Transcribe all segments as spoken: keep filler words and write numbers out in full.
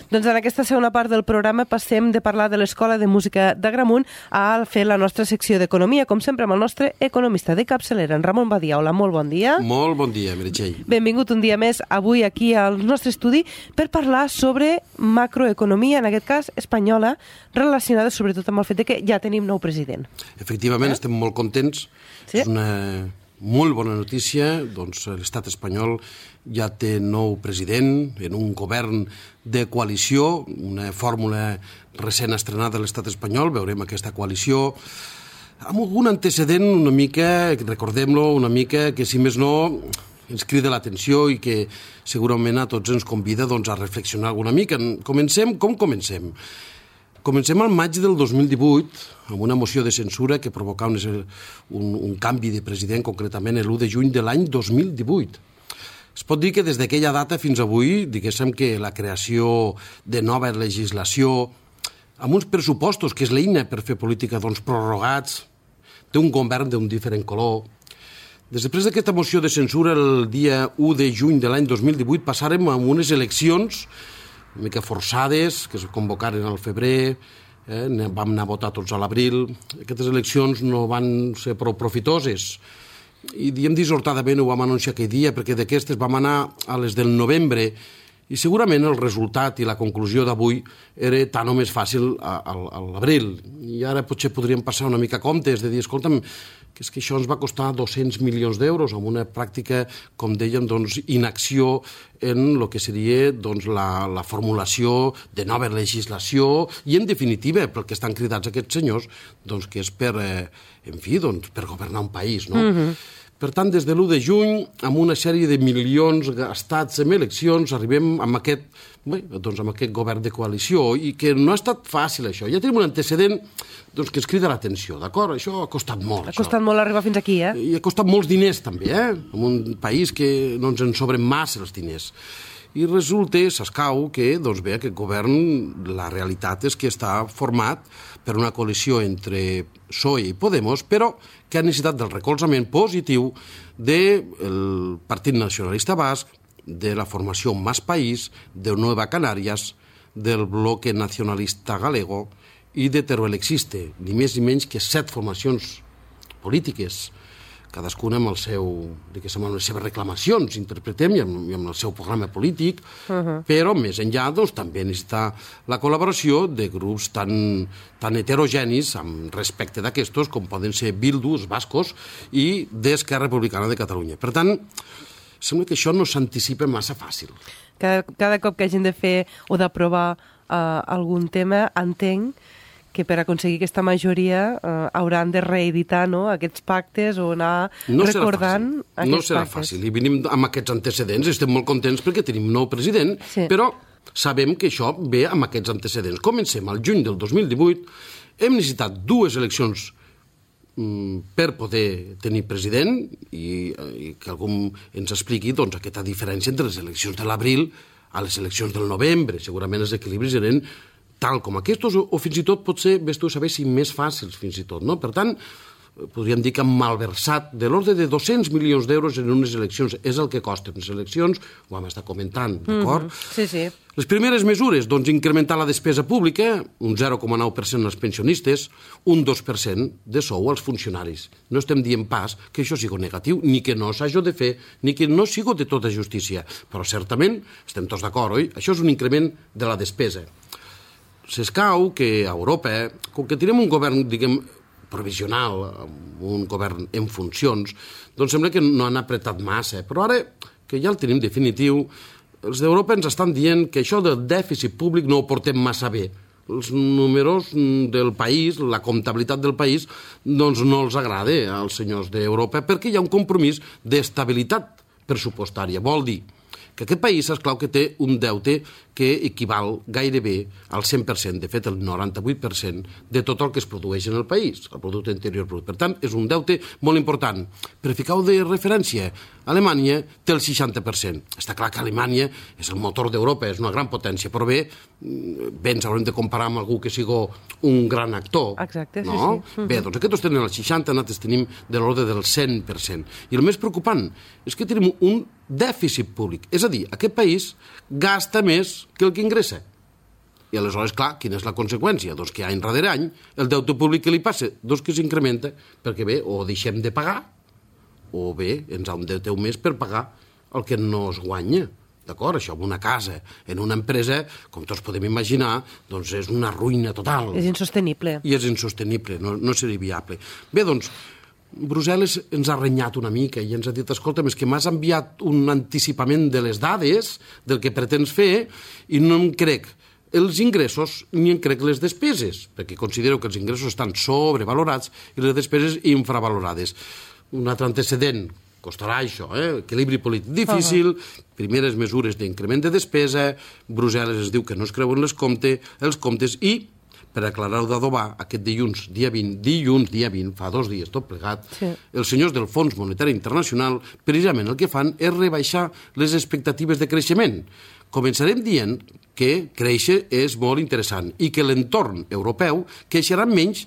Doncs en aquesta segona part del programa passem de parlar de l'Escola de Música d'Agramunt a fer la nostra secció d'Economia, com sempre amb el nostre economista de capçalera, en Ramon Badia. Hola, molt bon dia. Molt bon dia, Meritxell. Benvingut un dia més avui aquí al nostre estudi per parlar sobre macroeconomia, en aquest cas espanyola, relacionada sobretot amb el fet de que ja tenim nou president. Efectivament, eh? estem molt contents. Sí? És una molt bona notícia. Doncs l'estat espanyol ja té nou president en un govern de coalició, una fórmula recent estrenada a l'estat espanyol. Veurem aquesta coalició amb algun antecedent una mica, recordem-lo, una mica que si més no ens crida l'atenció i que segurament a tots ens convida doncs, a reflexionar alguna mica. Comencem, com comencem? Comencem al maig del dos mil divuit amb una moció de censura que provocava un, un, un canvi de president, concretament l'u de juny de l'any dos mil divuit. Es pot dir que des d'aquella data fins avui, diguéssim que la creació de nova legislació, amb uns pressupostos, que és l'eina per fer política, doncs prorrogats, té un govern d'un diferent color. Després d'aquesta moció de censura, el dia u de juny de l'any dos mil divuit, passàrem a unes eleccions una mica forçades, que es convocaren al febrer, eh, vam anar a votar tots a l'abril. Aquestes eleccions no van ser prou profitoses i diem dissortadament ho vam anunciar aquell dia perquè d'aquestes vam anar a les del novembre i segurament el resultat i la conclusió d'avui era tan o més fàcil a, a, a l'abril. I ara potser podríem passar una mica comptes de dir, escolta'm, que és que això ens va costar dos-cents milions d'euros amb una pràctica, com dèiem, doncs, inacció en el que seria doncs, la, la formulació de nova legislació i, en definitiva, pel que estan cridats aquests senyors, doncs, que és per, eh, en fi, doncs, per governar un país, no? Mm-hmm. Per tant, des de l'u de juny, amb una sèrie de milions gastats en eleccions, arribem amb aquest, bé, doncs amb aquest govern de coalició i que no ha estat fàcil, això. Ja tenim un antecedent doncs, que ens crida l'atenció, d'acord? Això ha costat molt. Ha costat això. molt arribar fins aquí, eh? I ha costat molts diners, també, eh? En un país que no ens en sobren massa els diners. I resulta, s'escau, que, doncs bé, aquest govern, la realitat és que està format per una coalició entre P S O E i Podemos, però que ha necessitat del recolzament positiu del Partit Nacionalista Basc, de la formació Más País, de Nueva Canarias, del Bloque Nacionalista Galego i de Teruel Existe, ni més ni menys que set formacions polítiques, cadascuna amb, el seu, amb les seves reclamacions, interpretem, i amb, i amb el seu programa polític, uh-huh. però més enllà doncs, també necessita la col·laboració de grups tan, tan heterogenis amb respecte d'aquestos com poden ser Bildu, els bascos, i d'Esquerra Republicana de Catalunya. Per tant, sembla que això no s'anticipa massa fàcil. Cada, cada cop que hagin de fer o d'aprovar uh, algun tema, entenc que per aconseguir aquesta majoria eh, hauran de reeditar no, aquests pactes o anar no recordant aquests no serà pactes. Fàcil. I venim amb aquests antecedents, estem molt contents perquè tenim nou president, sí. però sabem que això ve amb aquests antecedents. Comencem al juny del dos mil divuit, hem necessitat dues eleccions mm, per poder tenir president i, i que algú ens expliqui doncs, aquesta diferència entre les eleccions de l'abril a les eleccions del novembre. Segurament els equilibris eren tal com aquests, o, o fins i tot potser, ves tu a saber si més fàcils fins i tot, no? Per tant, podríem dir que han malversat de l'ordre de dos-cents milions d'euros en unes eleccions. És el que costen unes eleccions, ho vam estar comentant, d'acord? Mm-hmm. Sí, sí. Les primeres mesures, doncs, incrementar la despesa pública, un zero coma nou per cent als pensionistes, un dos per cent de sou als funcionaris. No estem dient pas que això sigui negatiu, ni que no s'hagi de fer, ni que no sigui de tota justícia. Però certament, estem tots d'acord, oi? Això és un increment de la despesa. S'escau que a Europa, com que tenim un govern, diguem, provisional, un govern en funcions, doncs sembla que no han apretat massa. Però ara, que ja el tenim definitiu, els d'Europa ens estan dient que això del dèficit públic no ho portem massa bé. Els números del país, la comptabilitat del país, doncs no els agrada als senyors d'Europa perquè hi ha un compromís d'estabilitat pressupostària. Vol dir que aquest país, esclar, que té un deute que equival gairebé al cent per cent, de fet el noranta-vuit per cent de tot el que es produeix en el país, el producte interior brut. Per tant, és un deute molt important. Per ficar-ho de referència, Alemanya té el seixanta per cent. Està clar que Alemanya és el motor d'Europa, és una gran potència, però bé, bé ens haurem de comparar amb algú que sigui un gran actor. Exacte, no? sí, sí. Bé, doncs aquests tenen el seixanta, nosaltres tenim de l'ordre del cent per cent. I el més preocupant és que tenim un dèficit públic. És a dir, aquest país gasta més que el que ingressa. I aleshores, clar, quina és la conseqüència? Doncs que any rere any el deute públic que li passa, doncs que s'incrementa, perquè bé, o deixem de pagar, o bé, ens endeuteu més per pagar el que no es guanya. D'acord? Això en una casa, en una empresa, com tots podem imaginar, doncs és una ruïna total. És insostenible. I és insostenible, no, no seria viable. Bé, doncs, Brussel·les ens ha renyat una mica i ens ha dit, escolta, és que m'has enviat un anticipament de les dades del que pretens fer i no em crec els ingressos ni en crec les despeses, perquè considero que els ingressos estan sobrevalorats i les despeses infravalorades. Un altre antecedent, costarà això, eh? Equilibri polític difícil, uh-huh. primeres mesures d'increment de despesa, Brussel·les es diu que no es creuen les compte, els comptes i, per aclarar-ho d'adobar, aquest dilluns, dia vint, dilluns, dia vint, fa dos dies tot plegat, sí. els senyors del Fons Monetari Internacional precisament el que fan és rebaixar les expectatives de creixement. Començarem dient que créixer és molt interessant i que l'entorn europeu creixerà menys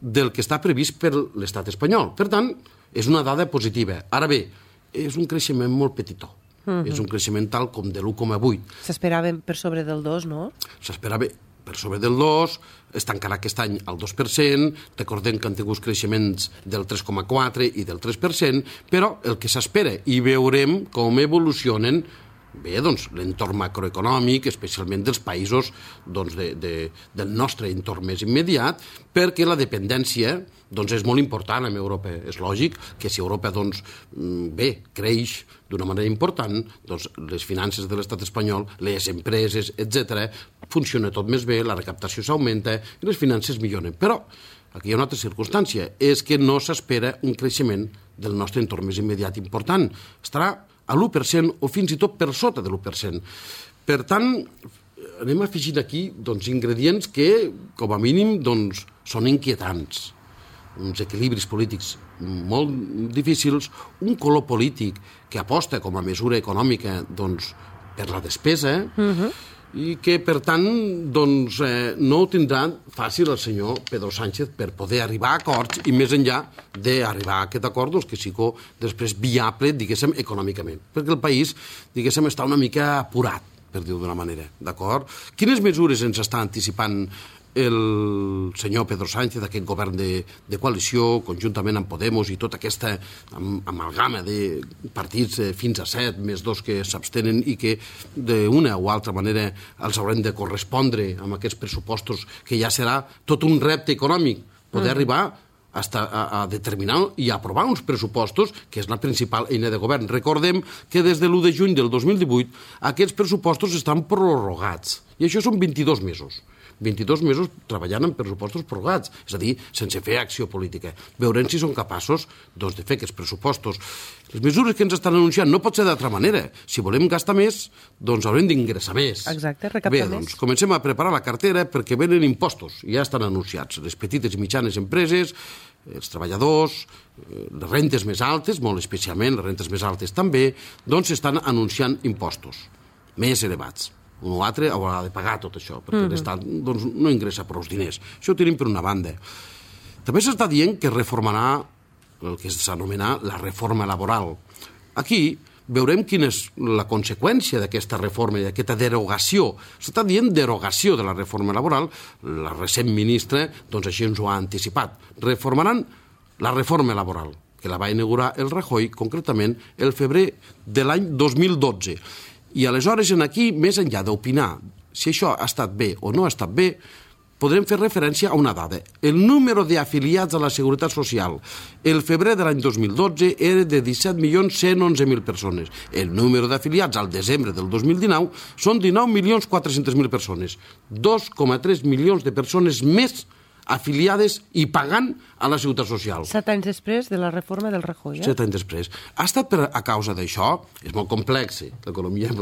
del que està previst per l'estat espanyol. Per tant, és una dada positiva. Ara bé, és un creixement molt petitó. Uh-huh. És un creixement tal com de l'u coma vuit. S'esperaven per sobre del dos, no? S'esperava per sobre del dos, es tancarà aquest any al dos per cent, recordem que han tingut creixements del tres coma quatre i del tres per cent, però el que s'espera, i veurem com evolucionen bé, doncs, l'entorn macroeconòmic, especialment dels països doncs, de, de, del nostre entorn més immediat, perquè la dependència doncs, és molt important en Europa. És lògic que si Europa doncs, bé, creix d'una manera important, doncs, les finances de l'estat espanyol, les empreses, etcètera, funciona tot més bé, la recaptació s'augmenta i les finances milloren. Però aquí hi ha una altra circumstància, és que no s'espera un creixement del nostre entorn més immediat important. Estarà a l'u per cent o fins i tot per sota de l'u per cent. Per tant, anem afegint aquí doncs, ingredients que, com a mínim, doncs, són inquietants. Uns equilibris polítics molt difícils, un color polític que aposta com a mesura econòmica doncs, per la despesa, uh-huh. i que, per tant, doncs, eh, no ho tindrà fàcil el senyor Pedro Sánchez per poder arribar a acords i més enllà d'arribar a aquest acord doncs, que sigui després viable, diguéssim, econòmicament. Perquè el país, diguéssim, està una mica apurat, per dir-ho d'una manera, d'acord? Quines mesures ens està anticipant el senyor Pedro Sánchez, aquest govern de, de coalició, conjuntament amb Podemos i tota aquesta am, amalgama de partits eh, fins a set, més dos que s'abstenen i que d'una o altra manera els haurem de correspondre amb aquests pressupostos, que ja serà tot un repte econòmic, poder mm. arribar hasta a, a determinar i aprovar uns pressupostos, que és la principal eina de govern. Recordem que des de l'u de juny del dos mil divuit aquests pressupostos estan prorrogats, i això són vint-i-dos mesos. vint-i-dos mesos treballant en pressupostos prorrogats, és a dir, sense fer acció política. Veurem si són capaços doncs, de fer aquests pressupostos. Les mesures que ens estan anunciant no pot ser d'altra manera. Si volem gastar més, doncs haurem d'ingressar més. Exacte, recaptar Bé, més. doncs comencem a preparar la cartera perquè venen impostos, ja estan anunciats. Les petites i mitjanes empreses, els treballadors, les rentes més altes, molt especialment, les rentes més altes també, doncs s'estan anunciant impostos més elevats. Un o altre haurà de pagar tot això, perquè mm-hmm. l'Estat doncs, no ingressa prou diners. Això ho tenim per una banda. També s'està dient que reformarà el que s'anomena la reforma laboral. Aquí veurem quina és la conseqüència d'aquesta reforma i d'aquesta derogació. S'està dient derogació de la reforma laboral. La recent ministra doncs, així ens ho ha anticipat. Reformaran la reforma laboral, que la va inaugurar el Rajoy, concretament el febrer de l'any dos mil dotze. I aleshores, en aquí, més enllà d'opinar si això ha estat bé o no ha estat bé, podrem fer referència a una dada. El número d'afiliats a la Seguretat Social el febrer de l'any dos mil dotze era de disset milions cent onze mil persones. El número d'afiliats al desembre del dos mil dinou són dinou milions quatre-cents mil persones. dos coma tres milions de persones més afiliades i pagant a la Seguretat Social. Set anys després de la reforma del Rajoy, eh? Set anys després. Ha estat per, a causa d'això, és molt complex. L'economia,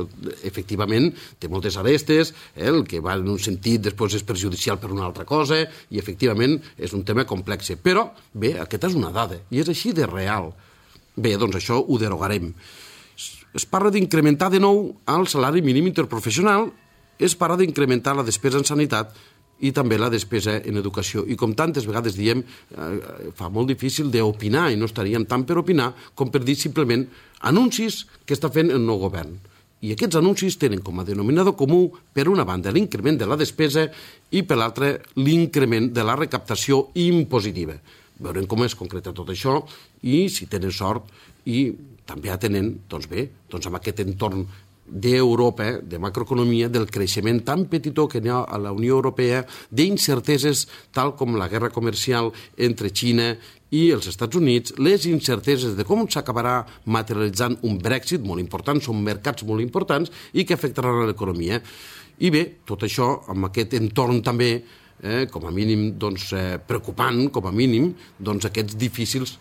efectivament, té moltes arestes, eh? El que va en un sentit després és perjudicial per una altra cosa, i efectivament és un tema complex. Però, bé, aquesta és una dada, i és així de real. Bé, doncs això ho derogarem. Es parla d'incrementar de nou el salari mínim interprofessional, es parla d'incrementar la despesa en sanitat i també la despesa en educació. I com tantes vegades diem, eh, fa molt difícil d'opinar, i no estaríem tant per opinar com per dir simplement anuncis que està fent el nou govern. I aquests anuncis tenen com a denominador comú, per una banda, l'increment de la despesa i, per l'altra, l'increment de la recaptació impositiva. Veurem com es concreta tot això i, si tenen sort, i també atenent, doncs bé, doncs amb aquest entorn d'Europa, de macroeconomia, del creixement tan petitó que hi ha a la Unió Europea, d'incerteses tal com la guerra comercial entre Xina i els Estats Units, les incerteses de com s'acabarà materialitzant un Brexit molt important, són mercats molt importants i que afectaran l'economia. I bé, tot això amb aquest entorn també, eh, com a mínim doncs, eh, preocupant, com a mínim, doncs aquests difícils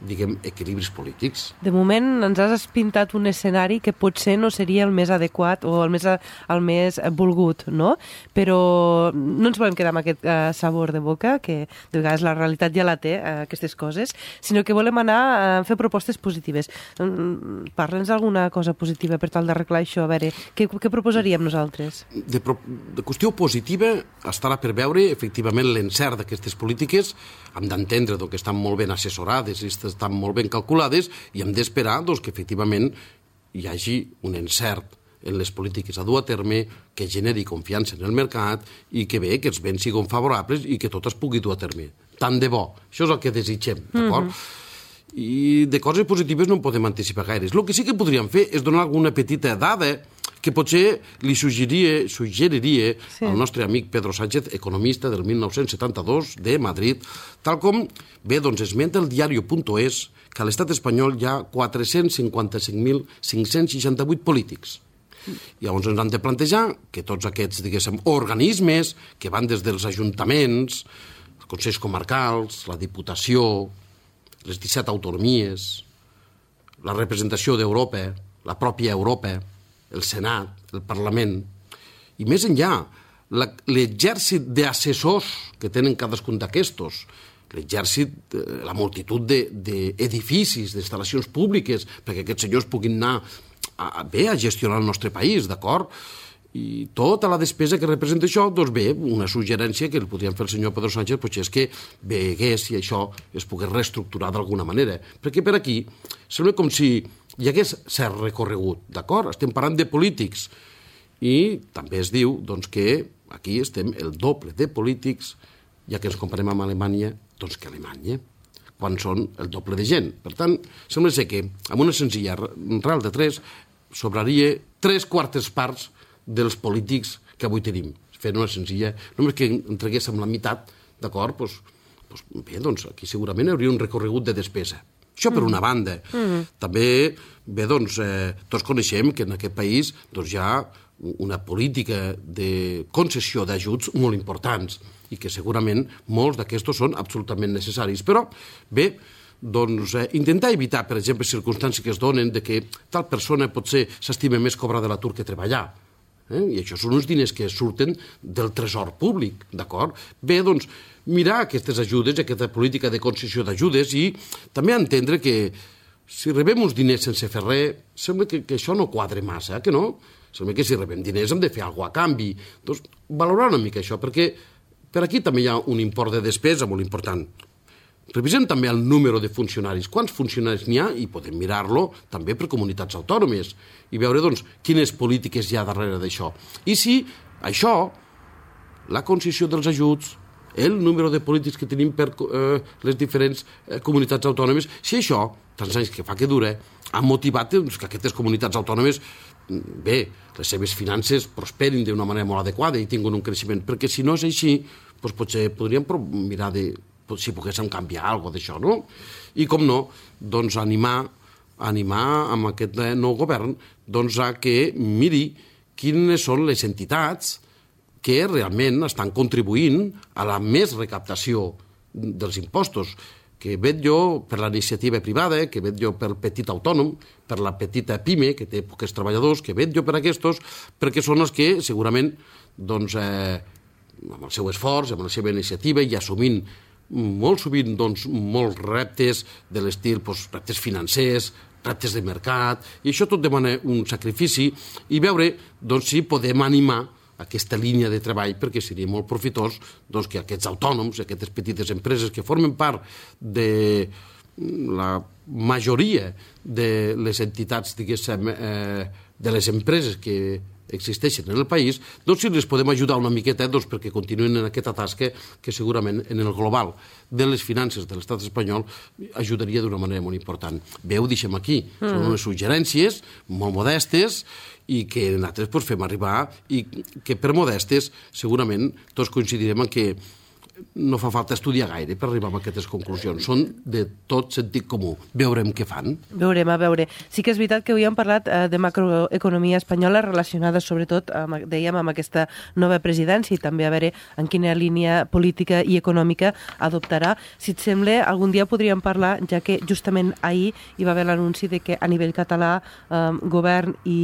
diguem, equilibris polítics. De moment ens has pintat un escenari que potser no seria el més adequat o el més, el més volgut, no? Però no ens volem quedar amb aquest uh, sabor de boca, que de vegades la realitat ja la té, uh, aquestes coses, sinó que volem anar a fer propostes positives. Um, Parla'ns d'alguna cosa positiva per tal d'arreglar això. A veure, què, què proposaríem nosaltres? De, pro, de qüestió positiva estarà per veure, efectivament, l'encert d'aquestes polítiques. Hem d'entendre que estan molt ben assessorades i estan molt ben calculades i hem d'esperar doncs, que efectivament hi hagi un encert en les polítiques a dur a terme, que generi confiança en el mercat i que bé, que els béns siguin favorables i que tot es pugui dur a terme. Tant de bo. Això és el que desitgem, d'acord? Mm-hmm. I de coses positives no en podem anticipar gaires. El que sí que podríem fer és donar alguna petita dada que potser li suggeriria, suggeriria sí. al nostre amic Pedro Sánchez, economista del mil nou-cents setanta-dos de Madrid, tal com, bé, doncs esmenta el diario.es que a l'estat espanyol hi ha quatre-cents cinquanta-cinc mil cinc-cents seixanta-vuit polítics. Llavors ens han de plantejar que tots aquests, diguéssim, organismes que van des dels ajuntaments, els consells comarcals, la Diputació, les disset autonomies, la representació d'Europa, la pròpia Europa, el Senat, el Parlament, i més enllà, l'exèrcit d'assessors que tenen cadascun d'aquestos, l'exèrcit, la multitud d'edificis, d'instal·lacions públiques, perquè aquests senyors puguin anar a, bé a gestionar el nostre país, d'acord? I tota la despesa que representa això, doncs bé, una suggerència que el podríem fer el senyor Pedro Sánchez potser és que vegués si això es pogués reestructurar d'alguna manera. Perquè per aquí sembla com si hi hagués cert recorregut, d'acord? Estem parlant de polítics i també es diu doncs, que aquí estem el doble de polítics, ja que ens comparem amb Alemanya, doncs que Alemanya, quan són el doble de gent. Per tant, sembla ser que amb una senzilla real de tres sobraria tres quartes parts dels polítics que avui tenim. Fent una senzilla, només que entreguéssim la meitat, d'acord, doncs, doncs, bé, doncs aquí segurament hi hauria un recorregut de despesa. Això per una banda. Mm. També, bé, doncs, eh, tots coneixem que en aquest país doncs, hi ha una política de concessió d'ajuts molt importants i que segurament molts d'aquests són absolutament necessaris. Però, bé, doncs, eh, intentar evitar, per exemple, circumstàncies que es donen de que tal persona potser s'estima més cobrar de l'atur que treballar. Eh? I això són uns diners que surten del tresor públic, d'acord? Bé, doncs, mirar aquestes ajudes, aquesta política de concessió d'ajudes i també entendre que si rebem uns diners sense fer res, sembla que, que això no quadre massa, que no? Sembla que si rebem diners hem de fer alguna cosa a canvi. Doncs valorar una mica això, perquè per aquí també hi ha un import de despesa molt important. Revisem també el número de funcionaris. Quants funcionaris n'hi ha? I podem mirar-lo també per comunitats autònomes i veure doncs, quines polítiques hi ha darrere d'això. I si això, la concessió dels ajuts, el número de polítics que tenim per eh, les diferents eh, comunitats autònomes, si això, tants anys que fa que dura, ha motivat doncs, que aquestes comunitats autònomes, bé, les seves finances prosperin d'una manera molt adequada i tinguin un creixement, perquè si no és així, doncs potser podríem mirar de si poguéssim canviar alguna cosa d'això, no? I com no, doncs animar, animar amb aquest nou govern doncs a que miri quines són les entitats que realment estan contribuint a la més recaptació dels impostos, que vetllo per la iniciativa privada, que vetllo pel petit autònom, per la petita pime, que té pocs treballadors, que vetllo per aquests, perquè són els que segurament, doncs, eh, amb el seu esforç, amb la seva iniciativa i assumint molt sovint doncs, molts reptes de l'estil, doncs, reptes financers, reptes de mercat, i això tot demana un sacrifici i veure doncs, si podem animar aquesta línia de treball perquè seria molt profitós doncs, que aquests autònoms, aquestes petites empreses que formen part de la majoria de les entitats, diguéssim, eh, de les empreses que existeixen en el país, doncs si les podem ajudar una miqueta doncs perquè continuïn en aquesta tasca que segurament en el global de les finances de l'estat espanyol ajudaria d'una manera molt important. Bé, ho deixem aquí. Mm. Són unes suggerències molt modestes i que nosaltres pues, fem arribar i que per modestes segurament tots coincidirem en que no fa falta estudiar gaire per arribar a aquestes conclusions. Són de tot sentit comú. Veurem què fan. Veurem, a veure. Sí que és veritat que avui hem parlat eh, de macroeconomia espanyola relacionada sobretot, amb, dèiem, amb aquesta nova presidència i també a veure en quina línia política i econòmica adoptarà. Si et sembla, algun dia podríem parlar, ja que justament ahir hi va haver l'anunci de que a nivell català eh, govern i...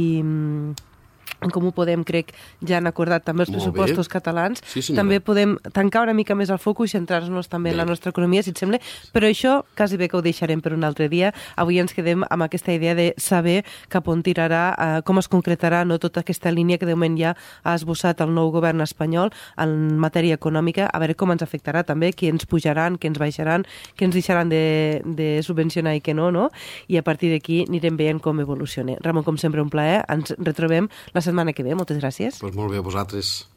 En Comú Podem, crec, ja han acordat també els Molt pressupostos bé. catalans. Sí, també podem tancar una mica més el focus i centrar-nos també bé. En la nostra economia, si et sembla. Però això quasi bé que ho deixarem per un altre dia. Avui ens quedem amb aquesta idea de saber cap on tirarà, eh, com es concretarà no, tota aquesta línia que de moment ja ha esbossat el nou govern espanyol en matèria econòmica, a veure com ens afectarà també, qui ens pujaran, qui ens baixaran, qui ens deixaran de, de subvencionar i què no, no? I a partir d'aquí anirem veient com evoluciona. Ramon, com sempre, un plaer. Ens retrobem la setmana que ve. Moltes gràcies. Pues molt bé a vosaltres.